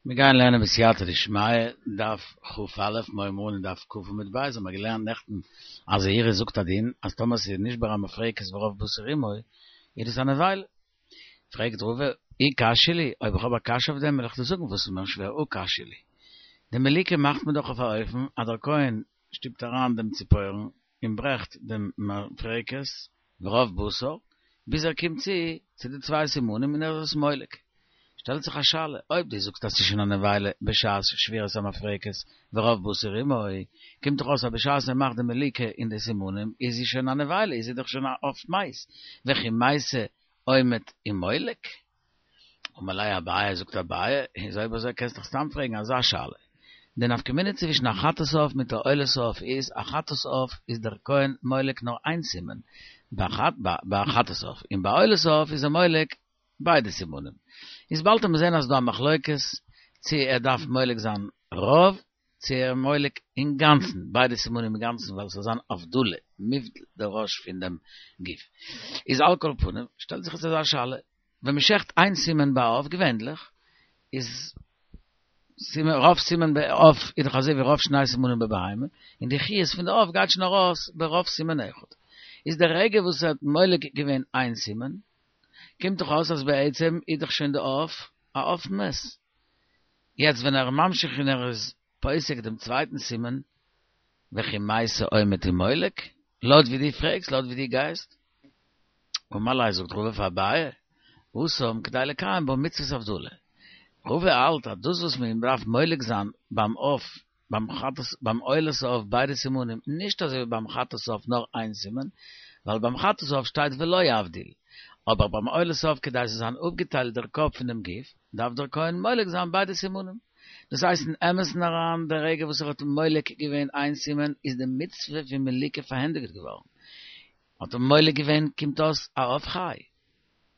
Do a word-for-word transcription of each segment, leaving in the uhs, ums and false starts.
מיר גייען לערנען בסייעתא דשמיא, דף כ"א, מיר הייבן אן אין דף כ' עמוד ב', האבן מיר געלערנט נעכטן אז זעירי זאגט א דין אז טאמער ס'איז נשבר המפרקת ורוב בשר עמו, איז דאס א נבילה. פרעגט רבא, אי קשיא לי, אויב איך האב א קשיא אויף דעם וועל איך דיר זאגן וואס איז מיר שווער, הא קשיא לי. די מליקה מאכט מען דאך אויף א אופן אז דער כהן שטופט אריין דעם ציפורן און ברעכט דעם מפרקת ורוב בשר, ביז ער קומט צו צו די צוויי סימנים און ער איז עס מולק. שטעלט זיך א שאלה, אויב דו זאגסט אז ס'איז שוין א נבילה בשעת שבירת המפרקת ורוב בשר עמו, קומט דאך אויס אז בשעת ער מאכט די מליקה אין די סימנים איז זי שוין א נבילה, איז זי דאך שוין א עוף מת, וכי מתה עומד ומולק? אמר ליה אביי, זאגט אביי, איז אויב אזוי קענסט דאך סתם פרעגן אזא שאלה. די נפקא מינה צווישן א חטאת עוף מיט א עולת העוף איז, א חטאת עוף איז דער כהן מולק נאר איין סימן, ביי א חטאת עוף, און ביי עולת העוף איז ער מולק ביידע סימנים. איז באלד וועט מען זען אז ס'דא א מחלוקת צו ער דארף מולק זיין רוב, צו ער מולק אינגאנצן, ביידע סימנים אינגאנצן ווייל ס'זאל זיין הבדלה, מובדל דער ראש פון דעם גוף. איז על כל פנים, שטעלט זיך יעצט אזא שאלה, ווען מ'שעכט איין סימן ביי עוף געווענדליך, איז סימן רוב סימן בעוף איז דאך אזוי ווי רוב שני סימנים בבהמה, און די חיות פון די עוף גייט שוין ארויס ברוב סימן אחד. איז די רגע וואס ער האט מולק געווען איין סימן, קומט דאך אויס אז בעצם איז דאך שוין די עוף א עוף מת. יעצט ווען ער איז ממשיך און ער איז פוסק דעם צווייטן סימן, וכי מתה עומד ומולק, לויט ווי דו פרעגסט, לויט ווי דו גייסט. אמר ליה זאגט רבא פאר אביי, התם כדי לקיים בה מצוות הבדלה. רבא האלט אז דאס וואס מען דארף מולק זיין ביים עוף, ביים חטאת, ביים עולת העוף ביידע סימנים, נישט אזוי ווי ביים חטאת העוף נאר איין סימן, ווייל ביים חטאת העוף שטייט ולא יבדיל, אבער ביים עולת העוף כדי ס'זאל זיין אפגעטיילט דער קאפ פון דעם גוף, דארף דער כהן מולק זיין ביידע סימנים. דאס הייסט אין אמת'ן אריין, די רגע וואס ער האט מולק געווען איין סימן, איז די מצוה פון מליקה פארענדיגט געווארן. האט ער מולק געווען קומט אויס א עוף חי.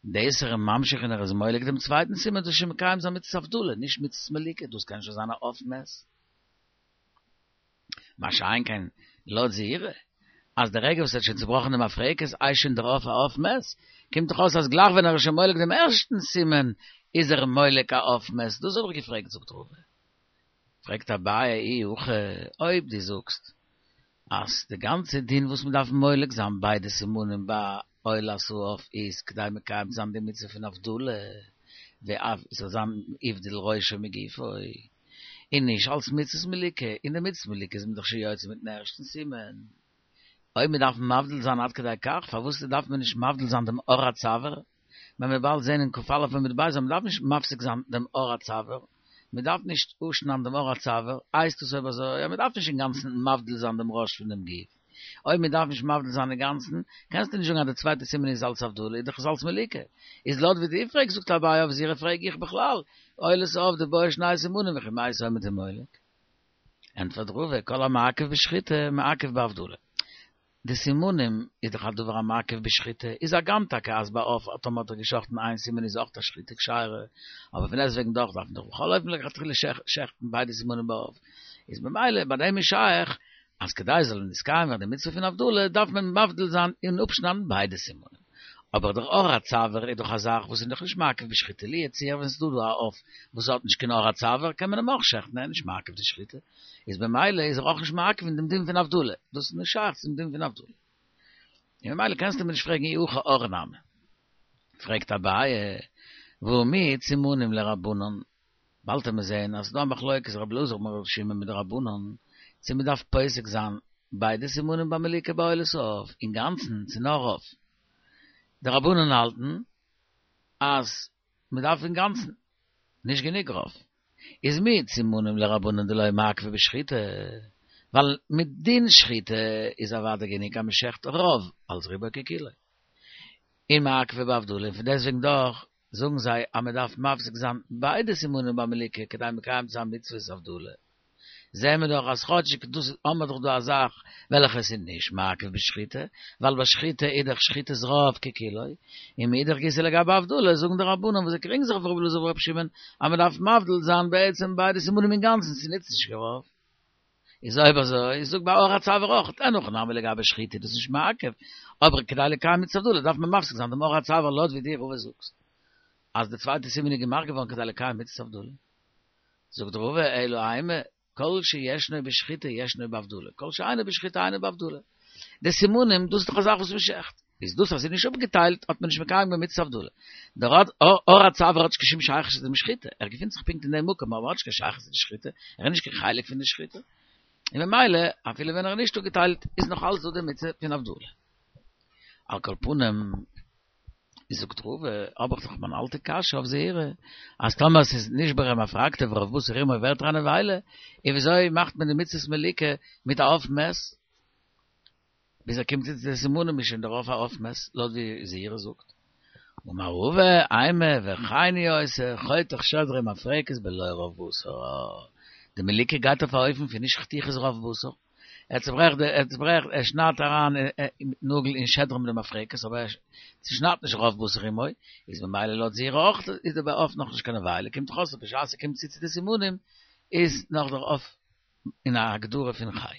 דאס ער איז ממשיך און ער איז מולק דעם צווייטן סימן דאס איז שוין מקיים זיין מצות הבדלה, נישט מצות מליקה, דאס קען שוין זיין א עוף מת. מה שאין כן לויט זעירי, אז די רגע וואס ער האט שוין צובראכן די מפרקת איז שוין דער עוף א עוף מת, קומט דאך אויס אז גלייך ווען ער איז שוין מולק דעם ערשטן סימן איז ער מולק א עוף מת, דאס האב איך געפרעגט זאגט רבא. פרעגט אביי אי הכי, אויב דו זאגסט אז די גאנצע דין וואס מען דארף מולק זיין ביידע סימנים ביי עולת העוף איז כדי מקיים זיין די מצוה פון הבדלה, ואף ס'זאל זיין הבדיל ראשו מגופו, און נישט אלס מצות מליקה, און די מצות מליקה איז מען דאך שוין יוצא מיטן ערשטן סימן. אויב מען דארף מבדיל זיין עד כדי כך, פארוואס דארף מען נישט מבדיל זיין דעם עור הצוואר? ווען מ'וועט באלד זען אין כ"א עמוד ב' אז מען דארף נישט מפסיק זיין דעם עור הצוואר, מען דארף נישט אפשניידן דעם עור הצוואר, הייסט עס אויב אזוי אז מען דארף נישט אינגאנצן מבדיל זיין דעם ראש פון דעם גוף. אויב מען דארף נישט מבדיל זיין אינגאנצן, קענסטו נישט זאגן אז די צווייטע סימן איז אלס הבדלה, איז דאך עס אלס מליקה. איז לויט ווי דו פרעגסט זאגט אביי אויף זעירי פרעג איך בכלל, עולת העוף דבעי שני סימנים וכי מתה עומד ומולק. ענטפערט רבא, כל המעכב בשחיטה מעכב בהבדלה. די סימנים איז דאך א דבר המעכב בשחיטה, איז הגם טאקע אז ביי עוף טאמער האט ער געשחטן איין סימן איז אויך א שחיטה כשרה, אבער פון דעסטוועגן דאך דארף מען דאך בכל אופן לכתחילה שעכטן ביידע סימנים ביי עוף, איז ממילא ביי דעם איז שייך אז כדי זאל נתקיים ווערן די מצוה פון הבדלה דארף מען מבדיל זיין און אפשניידן ביידע סימנים. אבער דער עור הצוואר איז דאך א זאך וואס איז דאך נישט מעכב בשחיטה, לו יצוייר ווען ס'איז דא דא א עוף וואס האט נישט קיין עור הצוואר קען מען אים אויך שעכטן ער איז נישט מעכב די שחיטה, איז במילא איז ער אויך נישט מעכב אין דעם דין פון הבדלה, דאס איז נישט שייך צום דין פון הבדלה. און ממילא קענסטו מיר נישט פרעגן אי הכי עור נמי. פרעגט אביי, והא מיהת סימנים לרבנן, באלד וועט מען זעהן אז ס'איז דא א מחלוקת רבי אלעזר ברבי שמעון מיט די רבנן, צו מ'דארף פוסק זיין ביידע סימנים ביי מליקה ביי עולת העוף אינגאנצן צו נאר רוב. די רבנן האלטן אז מ'דארף אינגאנצן, נישט גענוג רוב. איז מיהת סימנים לרבנן דלא מעכבי בשחיטה, ווייל מדין שחיטה איז אוודאי גענוג אז מ'שעכט רוב אלס רובו ככולו. און מעכבי בהבדלה, און פון דעסטוועגן דאך זאגן זיי אז מען דארף מפסיק זיין ביידע סימנים ביי מליקה כדי מקיים צו זיין מצוות הבדלה, זעהן מיר דאך אז כאטשיג דאס האמער דאך דא א זאך וועלכע עס איז נישט מעכב בשחיטה, ווייל ביי שחיטה איז דאך שחיטת רוב ככולו, און מאידך גיסא לגבי הבדלה זאגן די רבנן וואס זיי קריגן זיך אויף רבי אלעזר ברבי שמעון אז מען דארף מבדיל זיין בעצם ביידע סימנים אינגאנצן, ס'נוצט נישט קיין רוב. איז אויב אזוי, זאג ביי עור הצוואר אויך, אין הכי נמי לגבי שחיטה איז דאס נישט מעכב, אבער כדי לקיים מצות הבדלה דארף מען מפסיק זיין דעם עור הצוואר לויט ווי דו רבא זאגסט אז די צווייטע סימן איז געמאכט געווארן כדי לקיים מצות הבדלה. זאגט רבא, אלא אימא, כל שישנו בשחיטה ישנו בהבדלה, כל שאינו בשחיטה אינו בהבדלה. די סימנים, דאס איז דאך א זאך וואס מ'שעכט. איז דאס אז ס'איז נישט אפגעטיילט, האט מען נישט מקיים געווען מצות הבדלה. דער עור הצוואר האט נישט קיין שום שייכות צו דעם שחיטה, ער געפינט זיך פונקט אין דעם מקום, אבער האט נישט קיין שייכות צו די שחיטה, ער איז נישט קיין חלק פון די שחיטה. און ממילא, אפילו ווען ער איז נישט אפגעטיילט, איז נאך אלץ דא די מצוה פון הבדלה. על כל פנים, זאגט רבא, האב איך דאך מיין אלטע קשיא אויף זעירא, אז טאמער ס'איז נשברה מפרקתו ורוב בשר עמו ווערט ער א נבילה, און וויאזוי מאכט מען די מצות מליקה מיט א עוף מת? ביז ער קומט צו די סימנים איז שוין דער עוף א עוף מת, לויט ווי זעירא זאגט. אמר רבא, אימא וכן הוא עושה, חותך שדרה ומפרקת בלא רוב בשר. די מליקה גייט אויף א אופן פון נישט חתיכת רוב בשר. ער צוברעכט די, ער צוברעכט, ער שניידט אריין מיטן נאגל אין שדרה מיט די מפרקת, אבער ער צושניידט נישט רוב בשר עמו, איז ממילא לויט זעירא אויך איז דער עוף נאך נישט קיין נבילה, קומט דאך אויס אז בשעת ער קומט צו צו די סימנים איז נאך דער עוף אין א הגדרה פון חי.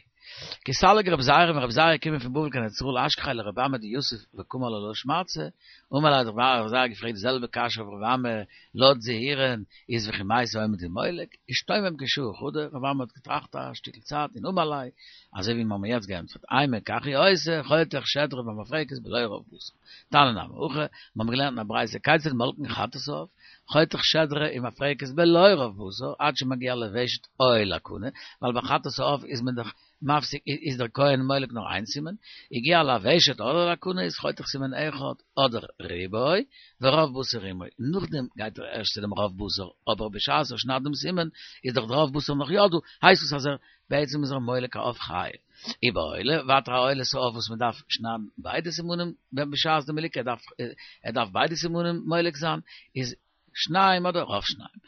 כי סליק רבי זירא ווען רבי זירא איז געקומען פון בבל קיין ארץ ישראל אשכחיה לרבי אמי דיתיב וקאמר לה לשמעתתא, אמר ליה האט רבי זירא געפרעגט די זעלבע קשיא אויף רבי אמי לויט זעירא'ן איז וכי מתי עומד ומולק, אשתומם כשעה חדא, רבי אמי האט געטראכט א שטיקל צייט און אמר ליה, אזוי ווי מיר האבן יעצט געענטפערט, אימא כך הוא עושה, חותך שדרה ומפרקת בלא רוב בשר. תניא נמי הכי, מיר האבן געלערנט אין א ברייתא כיצד מולקין חטאת העוף, חותך שדרה ומפרקת בלא רוב בשר, עד שמגיע לוושט או לקנה, ווייל ביי חטאת העוף איז מען דאך מפסיק, איז דער כהן מולק נאר איין סימן, הגיע לוושט אדער לקנה איז חותך סימן אחד אדער רובו, ורוב בשר עמו, נאכדעם גייט ער ערשט צו דעם רוב בשר, אבער בשעת ער שניידט דעם סימן איז דאך דער רוב בשר נאך יא דא, הייסט עס אז ער בעצם איז ער מולק א עוף חי. ובעולה, ווייטער א עולת העוף וואס מען דארף שניידן ביידע סימנים ווען בשעת די מליקה ער דארף ער דארף ביידע סימנים מולק זיין, איז שניים אדער רוב שניים.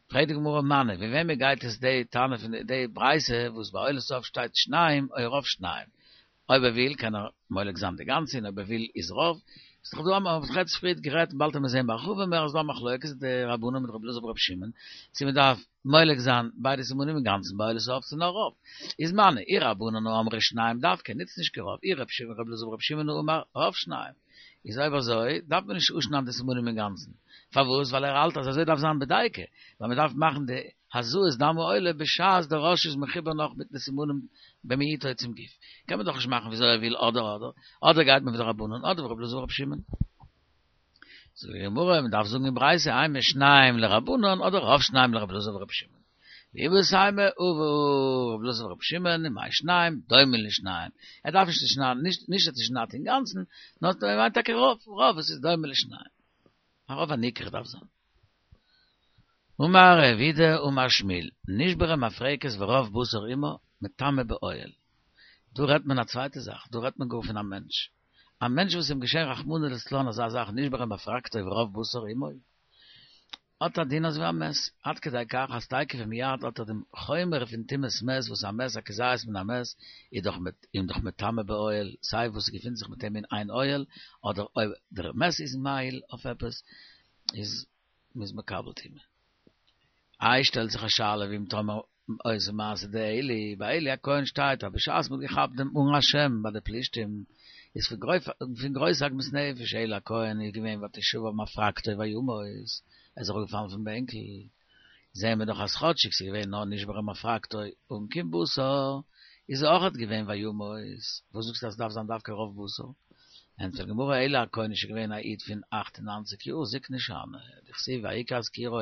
פרעגט די גמרא מני, ווי וועמען גייט עס די תנא פון די ברייתא וואס ביי עולת העוף שטייט שניים או רוב שניים? אויב ער וויל קען ער מולק זיין די גאנצע און אויב ער וויל איז רוב. איז דאך דא א מ'האט דאך יעצט פריערט גערעדט באלד וועט מען זעהן בהרחבה מער אז דא א מחלוקת די רבנן מיט רבי אלעזר ברבי שמעון צו מען דארף מולק זיין ביידע סימנים אינגאנצן ביי עולת העוף צו נאר רוב. איז מני אי רבנן האמרי שניים דווקא נוצט נישט קיין רוב אי רבי אלעזר ברבי שמעון האמר רוב שניים. איז אויב אזוי דארף מען נישט אפשניידן די סימנים אינגאנצן. פארוואס? ווייל ער האלט אז אזוי דארף זיין בדייקא, ווייל מען דארף מאכן די הזאת דם העולה בשעת דער ראש איז מחובר נאך מיט די סימנים במעוטו צום גוף. קען מען דאך נישט מאכן וויאזוי ער וויל אדער אדער, אדער גייט מען ווי די רבנן אדער ווי רבי אלעזר ברבי שמעון. זאגט די גמרא, מען דארף זאגן אין ברייתא אימא שניים לרבנן אדער רוב שניים לרבי אלעזר ברבי שמעון. ואיבעית אימא הא רבי אלעזר ברבי שמעון ומאי שניים דומה לשניים. ער דארף נישט צו שניידן, נישט אז צושניידט אינגאנצן, נאר ער מיינט טאקע רוב, רוב וואס איז דומה לשניים. א רוב הניכר דארף זיין. אמר רב אידי אמר שמואל, נשברה מפרקת ורוב בשר עמה, מטמא באוהל. דא רעדט מען א צווייטע זאך, דא רעדט מען גאר פון א מענטש. א מענטש וואס איז אים געשען רחמנא לצלן אזא זאך נשברה מפרקתו ורוב בשר עמו, האט א דין אזווי א מת, עד כדי כך אז תיכף ומיד האט ער דעם חומר פון טומאת מת וואס א מת א כזית מן המת איז דאך אים דאך מטמא באוהל, סיי וואס ס'געפינט זיך מיט אים אין איין אוהל, אדער אויב דער מת איז מאהיל אויף עפעס, איז מ'איז מקבל טומאה. איי שטעלט זיך א שאלה ואם תאמר אותו מעשה דעלי, ביי עלי הכהן שטייט אז בשעת מ'האט געכאפט דעם ארון השם ביי די פלישתים איז פון גרויס עגמת נפש עלי הכהן איז געווען ותשבר מפרקתו וימות, ער איז אראפגעפאלן פון בענקל, זעהן מיר דאך אז כאטשיג ס'איז געווען נאר נשברה מפרקתו אן קיין בשר, איז ער אויכעט געווען וימות, וואס זאגסטו אז ס'דארף זיין דווקא רוב בשר? ענטפערט די גמרא עלי הכהן איז שוין געווען א איד פון אַכט און נײַנציק יאר זקנה שאני, דכתיב ויקח זכירו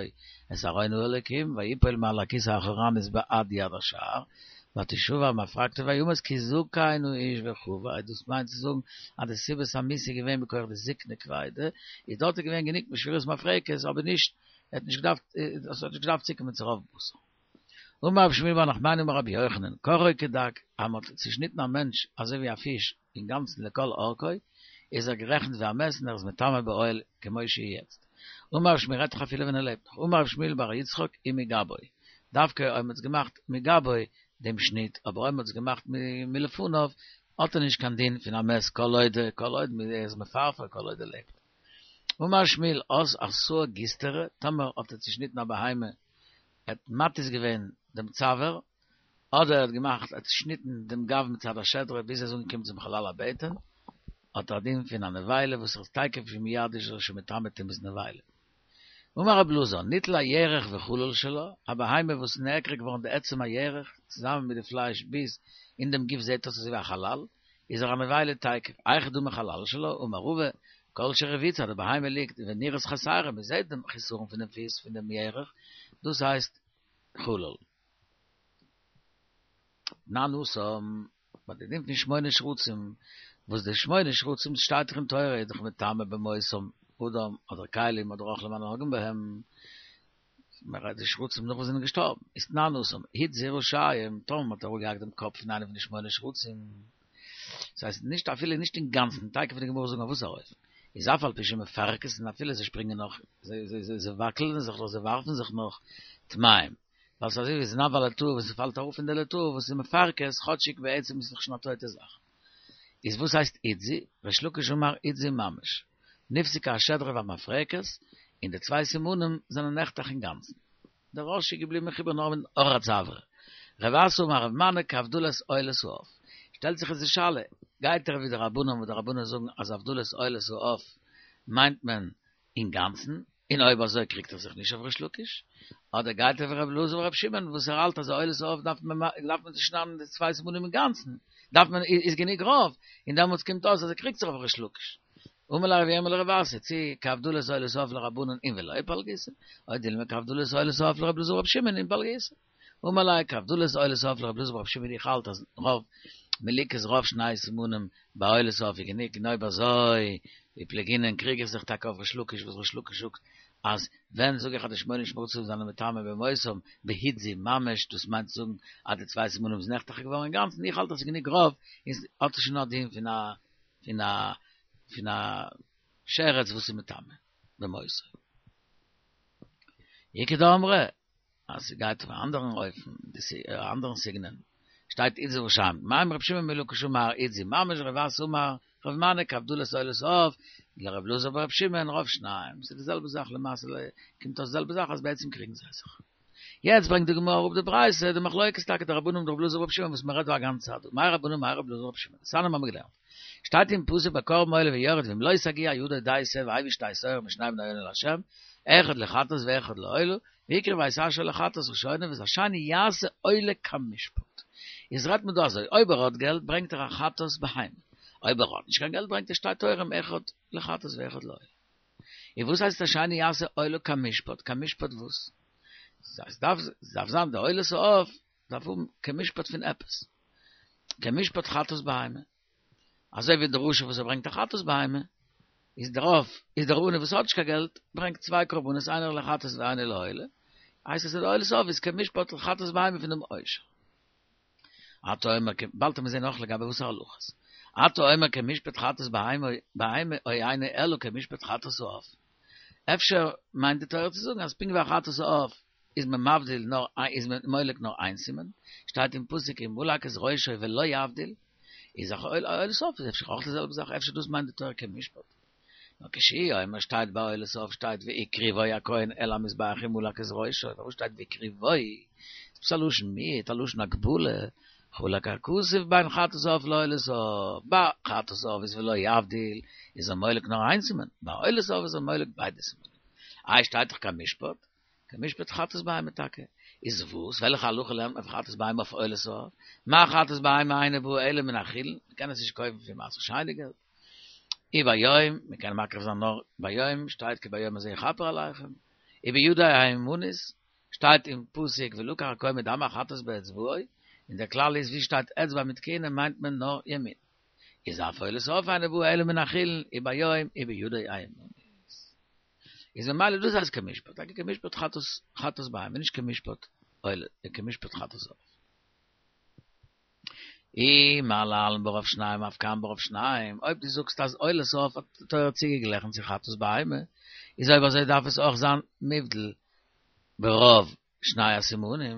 את ארון האלקים ויפול מעל הכסא אחורנית בעד יד השער ותשבר מפרקתו וימות כי זקן האיש וכו', דאס מיינט צו זאגן אז די סיבת המיתה איז געווען מכח די זקנה כבידה, איז דארט איז געווען גענוג משבירת מפרקת אבער נישט ער האט נישט געדארפט עס האט נישט געדארפט צוקומען צו רוב בשר. אמר רבי שמואל בר נחמני אמר רבי יוחנן, קרעו כדג, אז מען האט צושניטן א מענטש אזוי ווי א פיש אינגאנצן לכל אורכו, איז ער גערעכנט ווי א מת און ער איז מטמא באוהל כמו שהוא יעצט. אמר רבי שמואל רעדט זיך אפילו ווען ער לעבט נאך, אמר רבי שמואל בר יצחק ומגבו, דווקא אויב מען האט עס געמאכט מגבו דעם שניט, אבער אויב מען האט עס געמאכט מלפניו האט ער נישט קיין דין פון א מת כל עוד כל עוד ער איז מפרפר כל עוד ער לעבט. אמר שמואל אז עשאה גיסטרא, טאמער האט ער צושניטן א בהמה, ער האט מתיז געווען דעם צוואר, אדער ער האט געמאכט, ער האט צושניטן דעם גב מצד השדרה ביז ער איז אנגעקומען צום חלל הבטן, האט ער א דין פון א נבילה וואס איז תיכף ומיד איז ער שוין מטמא טומאת נבילה. אמר רב אלעזר, ניטל הירך וחלול שלה, א בהמה וואס נעקר געווארן די עצם הירך, צוזאמען מיט די פלייש ביז אין דעם גוף זעט אויס אזוי ווי א חלל, איז ער א נבילה תיכף, היכי דמי חלל שלה, אמר רבא, כל שרביצה, די בהמה ליגט ונראית חסרה, מען זעט דעם חיסרון פון דעם פיס פון דעם ירך, דאס הייסט חלל. תנן התם, ביי די דין פון שמונה שרצים, וואס די שמונה שרצים שטייט דאך אין תורה איז דאך מטמא במותם אדם אדער כלים אדער אוכלים הנוגעים בהם, מען רעדט די שרצים נאך וואס זענען געשטארבן, איז תנן התם, הדזו ראשיהם, טאמער מען האט אראפגעהאקט דעם קאפ פון איינע פון די שמונה שרצים, דאס הייסט נישט אפילו נישט אינגאנצן, תיכף וועט די גמרא זאגן אויף וואס ארויף, איז אף על פי שמפרכסין אפילו זיי שפרינגען נאך, זיי וואקלען זיך נאך, זיי ווארפן זיך נאך, טמאים, ווייל ס'איז אזוי ווי זנב הלטאה וואס ס'פאלט אראפ פון די לטאה וואס איז מפרכס, כאטשיג בעצם איז עס דאך שוין א טויטע זאך. איז וואס הייסט הדזו? ריש לקיש אמר הדזו ממש, נפסקה השדרה והמפרקת, און די צוויי סימנים זענען נחתך אינגאנצן. דער ראש איז געבליבן מחובר נאר מיטן עור הצוואר. רב אסי אמר רב מני כהבדלת עולת העוף. שטעלט זיך איצט די שאלה, גייט ער ווי די רבנן וואס די רבנן זאגן אז הבדלת עולת העוף מיינט מען אינגאנצן, און אויב אזוי קריגט ער זיך נישט אויף ריש לקיש, אדער גייט ער ווי רבי אלעזר ברבי שמעון וואס ער האלט אז עולת העוף דארף מען דארף מען צושניידן די צוויי סימנים אינגאנצן, דארף מען איז גענוג רוב, און דעמאלטס קומט אויס אז ער קריגט זיך אויף ריש לקיש. אמר ליה רב ירמיה לרב אסי, צי כהבדלת עולת העוף לרבנן אין ולא פלגיתא, או דילמא כהבדלת עולת העוף לרבי אלעזר ברבי שמעון אין פלגיתא. אמר ליה כהבדלת עולת העוף לרבי אלעזר ברבי שמעון איך האלט אז רוב מליקת רוב שני סימנים ביי עולת העוף איז גענוג און אויב אזוי ופליגינן קריג איך זיך טאקע אויף ריש לקיש וואס ריש לקיש זאגט אז ווען זאג איך אז די שמונה שרצים זענען מטמא במותם בהדזו ממש דאס מיינט צו זאגן אז די צוויי סימנים איז נחתך געווארן אינגאנצן איך האלט אז ס'איז גענוג רוב איז האט עס שוין א דין פון א פון א פון א שרץ וואס איז מטמא במותו. איכא דאמרי אז ס'גייט אויף א אנדערן אופן, א אנדערן סגנון, שטייט הדזו ראשיהם, מימר רבי שמעון בן לקיש אמר הדזו ממש רב אסי אמר רב מני כהבדלת עולת העוף, לרבי אלעזר ברבי שמעון רוב שניים, ס'איז די זעלבע זאך למעשה קומט אויס די זעלבע זאך אז בעצם קריגן זיי זיך. יעצט ברענגט די גמרא אראפ די ברייתא, די מחלוקת טאקע די רבנן און רבי אלעזר ברבי שמעון וואס מ'רעדט דא א גאנצע צייט דא, מאי רבנן מאי רבי אלעזר ברבי שמעון, דתניא האבן מיר געלערנט, שטייט אין פסוק ביי קרבן עולה ויורד ואם לא תגיע ידו די שה והביא שתי תורים משני בני יונה לה' אחד לחטאת ואחד לעולה והקריב את אשר לחטאת ראשונה ואת השני יעשה עולה כמשפט. איז רעדט מען דא אזוי, אויב ער האט געלט ברענגט ער א חטאת בהמה, אויב ער האט נישט קיין געלט ברענגט ער שתי תורים אחד לחטאת ואחד לעולה. און וואס הייסט השני יעשה עולה כמשפט? כמשפט וואס? עס דארף דארף זיין די עולת העוף דארף האבן כמשפט פון עפעס. כמשפט חטאת בהמה. אזוי ווי דער עושר וואס ער ברענגט א חטאת בהמה, איז דערויף איז דער עני וואס האט נישט קיין געלט ברענגט צוויי קרבנות איינער לחטאת ואיינער לעולה, הייסט עס אז די עולת העוף איז כמשפט חטאת בהמה פון דעם עושר. אתה אומר כ, באלד וועט מען זען אויך לגבי וואסערע הלכות. אתה אומר כמשפט חטאת בהמה בהמה או אינו אלא כמשפט חטאת העוף. אפשר מיינט די תורה צו זאגן אז פונקט ווי א חטאת העוף איז מען מבדיל נאר איז מען מולק נאר איין סימן, שטייט אין פסוק אם מלק את ראשו ולא יבדיל, איז אויך עולת העוף איז אפשר אויך די זעלבע זאך, אפשר דאס מיינט די תורה כמשפט. נאר כשהוא אומר שטייט ביי עולת העוף שטייט והקריבו הכהן אל המזבח אם מלק את ראשו, פארוואס שטייט והקריבו? איז עפעס א לשון מיעוט, א לשון הגבלה, חלק הכתוב בין חטאת העוף לעולת העוף, ביי חטאת העוף איז ולא יבדיל, איז ער מולק נאר איין סימן, ביי עולת העוף איז ער מולק ביידע סימנים. איי שטייט דאך כמשפט? כמשפט חטאת בהמה טאקע. איז וואס? וועלכע הלכה לערנט מען פון חטאת בהמה אויף עולת העוף? מה חטאת בהמה אינה באה אלא מן החולין, מען קען עס נישט קויפן פון מעשר שני געלט. וביום, מען קען מקריב זיין נאר ביום, שטייט כי ביום הזה יכפר עליכם. ובידו הימנית, שטייט אין פסוק ולקח הכהן מדם החטאת באצבעו, און דער כלל איז ווי שטייט אצבע מיט כהונה מיינט מען נאר ימין. איז אף עולת העוף אינה באה אלא מן החולין, וביום ובידו הימנית. איז ממילא דאס הייסט כמשפט, טאקע כמשפט חטאת חטאת בהמה, נישט כמשפט עולה, כמשפט חטאת עוף. אי מה להלן ברוב שניים אף כאן ברוב שניים, אויב דו זאגסט אז עולת העוף האט די תורה צוגעגליכן צו חטאת בהמה, איז אויב אזוי דארף עס אויך זיין מובדל ברוב שני הסימנים,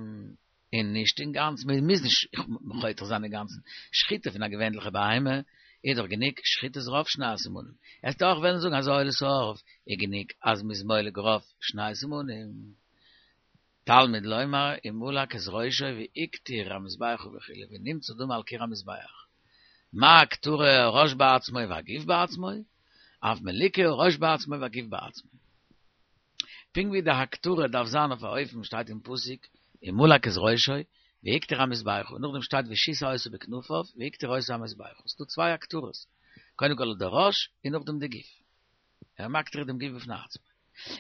און נישט אינגאנצן, מען מוז נישט חותך זיין אינגאנצן, שחיטה פון א געווענליכע בהמה איז דאך גענוג שחיטת רוב שני הסימנים, וועסטו אויך וועלן זאגן אז עולת העוף איז גענוג אז מ'איז מולק רוב שני סימנים. תלמוד לומר אם מלק את ראשו והקטיר המזבחה וכו' ונמצא דמו על קיר המזבח, מה הקטרה הראש בעצמו והגוף בעצמו, אף מליקה הראש בעצמו והגוף בעצמו. פונקט ווי די הקטרה דארף זיין אויף א אופן שטייט אין פסוק ומלק את ראשו והקטיר המזבחה און נאכדעם שטייט ושיסע אותו בכנפיו והקטיר אותו המזבחה ס'דא צוויי הקטרות קודם כל דער ראש און נאכדעם די גוף ער מקטיר דעם גוף בפני עצמו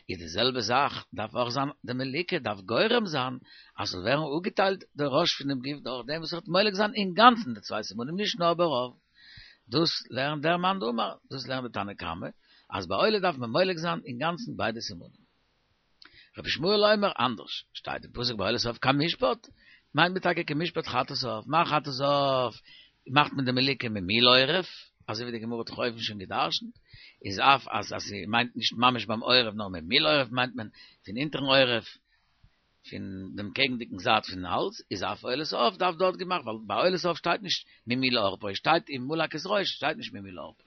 איז די זעלבע זאך דארף אויך זיין די מליקה דארף גורם זיין אז ס'זאל ווערן אפגעטיילט דער ראש פון דעם גוף דורך דעם וואס ער וועט מולק זיין אינגאנצן די צוויי סימנים נישט נאר ברוב דאס לערנט דער מאן דאמר דאס לערנט די תנא קמא אז ביי עולה דארף מען מולק זיין אינגאנצן ביידע סימנים. רבי ישמעאל אומר אנדערש, שטייט אין פסוק ביי עולת העוף כמשפט, מיינט מען טאקע כמשפט חטאת העוף, מה חטאת העוף מאכט מען די מליקה ממול עורף, אזוי ווי די גמרא האט דאך אויבן שוין גע'דרש'נט, איז אף אז אז ס'מיינט נישט ממש ביים עורף נאר ממול עורף מיינט מען פון אונטערן עורף, פון דעם קעגנדיגן זייט פון האלז, איז אף עולת העוף דארף דארט געמאכט, ווייל ביי עולת העוף שטייט נישט ממול עורפו, שטייט ומלק את ראשו, שטייט נישט ממול עורפו,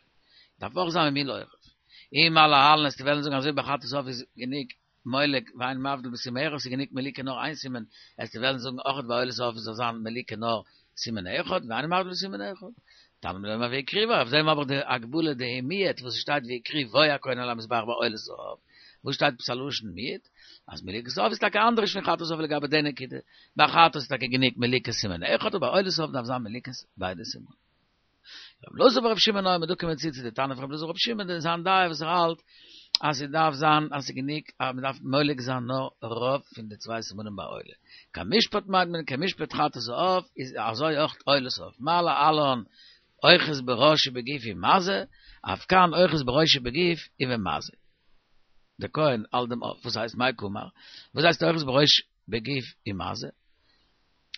דארף אויך זיין ממול עורף. אי מה להלן וועסטו וועלן זאגן אזוי ביי חטאת העוף איז גענוג מולק ואין מבדיל בסימן אחד ס'איז גענוג מליקה נאר איין סימן, וועסטו וועלן זאגן אויך ביי עולת העוף זאל זיין מליקה נאר סימן אחד ואין מבדיל בסימן אחד. תלמוד לומר והקריבו, אויף דעם האב איך די הגבלה די מיעוט וואס ס'שטייט והקריבו הכהן על המזבח ביי עולת העוף, וואס שטייט עפעס א לשון מיעוט? אז מליקת העוף איז טאקע אנדערש פון חטאת העוף לגבי די נקודה, ביי חטאת איז טאקע גענוג מליקת סימן אחד אבער ביי עולת העוף דארף זיין מליקת ביידע סימנים. רבי אלעזר ברבי שמעון אומר, דא קומען מיר צו צו די תנא פון רבי אלעזר ברבי שמעון, די זיין דעה וואס ער האלט אז ס'דארף זיין אז ס'איז גענוג אז מ'דארף מולק זיין נאר רוב פון די צוויי סימנים ביי עולה. כמשפט מיינט מען כמשפט חטאת העוף איז אזוי אויך עולת העוף. מה להלן אוחז בראש ובגוף ומזה, אף כאן אוחז בראש ובגוף ובמזה. דער כהן האלט דעם עוף, וואס הייסט מאי קאמר? וואס הייסט אוחז בראש בגוף ומזה?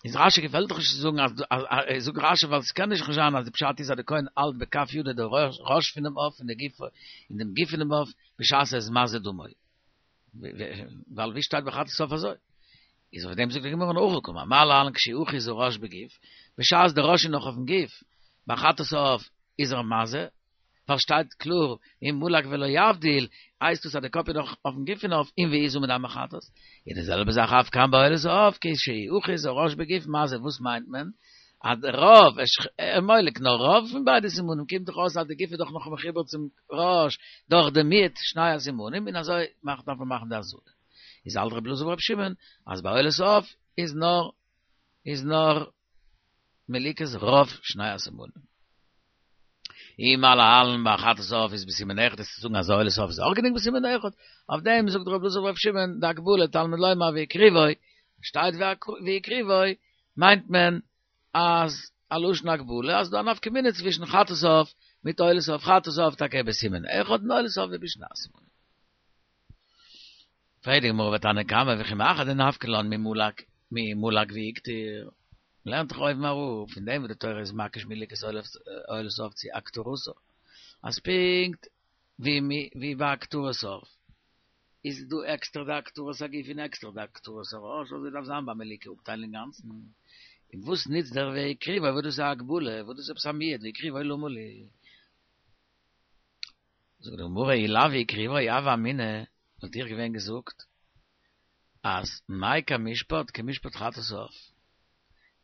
איז רשי געפעלט דאך נישט צו זאגן אז זאגט רשי ווייל ס'קען נישט זיין אז די פשט איז אז די כהן האלט בכף ידו די ראש פונעם עוף און די גוף און דעם גוף פונעם עוף בשעת ער איז מזה דמו ווייל ווי שטייט ביי חטאת העוף אזוי איז אויף דעם זאגט די גמרא הכי קאמר מה להלן כשהוא אוחז הראש בגוף בשעת די ראש איז נאך אויפן גוף ביי חטאת העוף איז ער מזה ווייל שטייט קלאר ומלק ולא יבדיל, הייסט דאס אז די קאפ איז נאך אויפן גוף פון עוף און והזה מדם החטאת? איז די זעלבע זאך אף כאן בעולת העוף כשהוא אוחז הראש בגוף מזה וואס מיינט מען? אז די רוב ער מולק נאר רוב פון ביידע סימנים קומט דאך אויס אז די גוף איז דאך נאך מחובר צום ראש דורך די מיעוט שני הסימנים און אזוי מאכט דארף מען מאכן די הזאה איז האלט רבי אלעזר ברבי שמעון אז ביי עולת העוף איז נאר איז נאר מליקת רוב שני הסימנים. אי מה להלן ביי חטאת העוף איז בסימן אחד וועסטו זאגן אז עולת העוף איז אויך גענוג בסימן אחד, אויף דעם זאגט רבי אלעזר ברבי שמעון די הגבלה תלמוד לומר והקריבו, שטייט והקריבו מיינט מען אז א לשון הגבלה אז דא א נפקא מינה צווישן חטאת העוף מיט עולת העוף, חטאת העוף טאקע בסימן אחד און עולת העוף בשני הסימנים. פרעגט די גמרא ותנא קמא וכי מאחר דנפקא לן ממלק ממלק והקטיר, מ'לערנט דאך אויבן אראפ פון דעם וואס די תורה איז מקיש מליקת עולת העוף צו הקטרתה, אז פונקט ווי ביי הקטרת העוף איז דא עקסטער די הקטרת הגוף און עקסטער די הקטרת הראש, אזוי דארף זיין ביי מליקה אפטיילן אינגאנצן, און וואס נוצט דער והקריבו וואס דאס איז א הגבלה, וואס דאס איז עפעס א מיעוט והקריבו למה לי. זאגט די גמרא אי לאו והקריבו הוה אמינא וואלט איך געווען געזאגט אז מאי כמשפט כמשפט חטאת העוף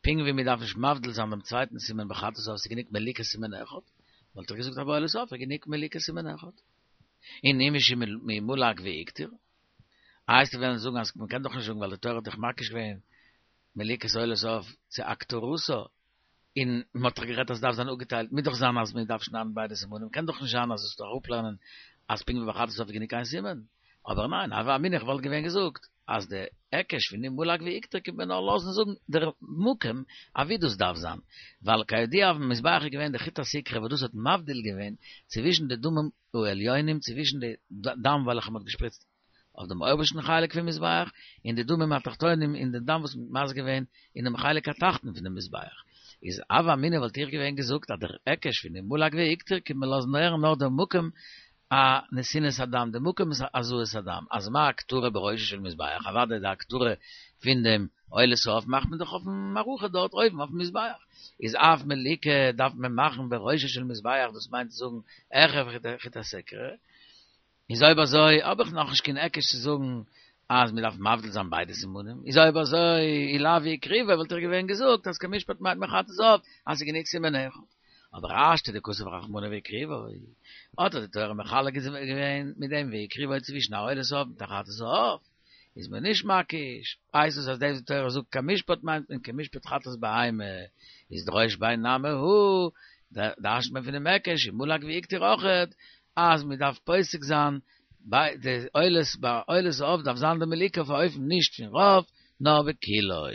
פונקט ווי מען דארף נישט מבדיל זיין דעם צווייטן סימן ביי חטאת העוף ס'איז גענוג מליקת סימן אחד וואלט איך געזאגט אז ביי עולת העוף איז גענוג מליקת סימן אחד און אי משום ממלק והקטיר איי וועסטו וועלן זאגן אז מען קען דאך נישט זאגן ווייל די תורה האט דאך מקיש געווען מליקת עולת העוף צו הקטרתה און מען האט דאך גערעדט אז ס'דארף זיין אפגעטיילט, מוז דאך זיין אז מען דארף שניידן ביידע סימנים, קען דאך נישט זיין אז זאלסט אראפלערנען אז פונקט ווי ביי חטאת העוף איז גענוג איין סימן, אבער ניין, הוה אמינא איך וואלט געווען געזאגט אז די היקש פון ומלק והקטיר קומט מען נאר לאזן זאגן דער מקום אוואו דאס דארף זיין, ווייל כידוע אויפן מזבח איז געווען די חוט הסיקרא וואס דאס האט מבדיל געווען צווישן די דמים העליונים צווישן די דם וועלכע מען האט געשפריצט אויף דעם אויבערשטן חלק פון מזבח, און די דמים התחתונים און די דם וואס מ'האט מזה געווען אינעם חלק התחתון פון דעם מזבח. איז הוה אמינא וואלט איך געווען געזאגט אז דער היקש פון ומלק והקטיר קומט מען לאזן הערן נאר דער מקום הנתינת הדם, דער מקום הזאת הדם, אז מה הקטרה בראשו של מזבח, אוודאי די הקטרה פון דעם עולת העוף מאכט מען דאך אויפן מערכה דארט אויבן אויפן מזבח, איז אף מליקה דארף מען מאכן בראשו של מזבח דאס מיינט צו זאגן העכער חוט הסיקרא, איז אויב אזוי האב איך נאכנישט קיין היקש צו זאגן אז מען דארף מבדיל זיין ביידע סימנים, איז אויב אזוי אי לאו והקריבו וואלט איך געווען געזאגט אז כמשפט מיינט מען חטאת העוף אז ס'איז גענוג סימן אחד. אבער השתא דכתב רחמנא והקריבו, האט די תורה מחלק געווען מיט דעם והקריבו צווישן א עולת העוף מיט א חטאת העוף, איז מען נישט מקיש, הייסט עס אז דאס די תורה זאגט כמשפט מיינט מען כמשפט חטאת בהמה, איז דרוש ביה נמי הא, דרש'נט מען פון דעם היקש אם מלק והקטיר אויכעט, אז מען דארף פוסק זיין ביי די עולת ביי עולת העוף דארף זיין די מליקה אויף א אופן נישט פון רוב נאר בכולו.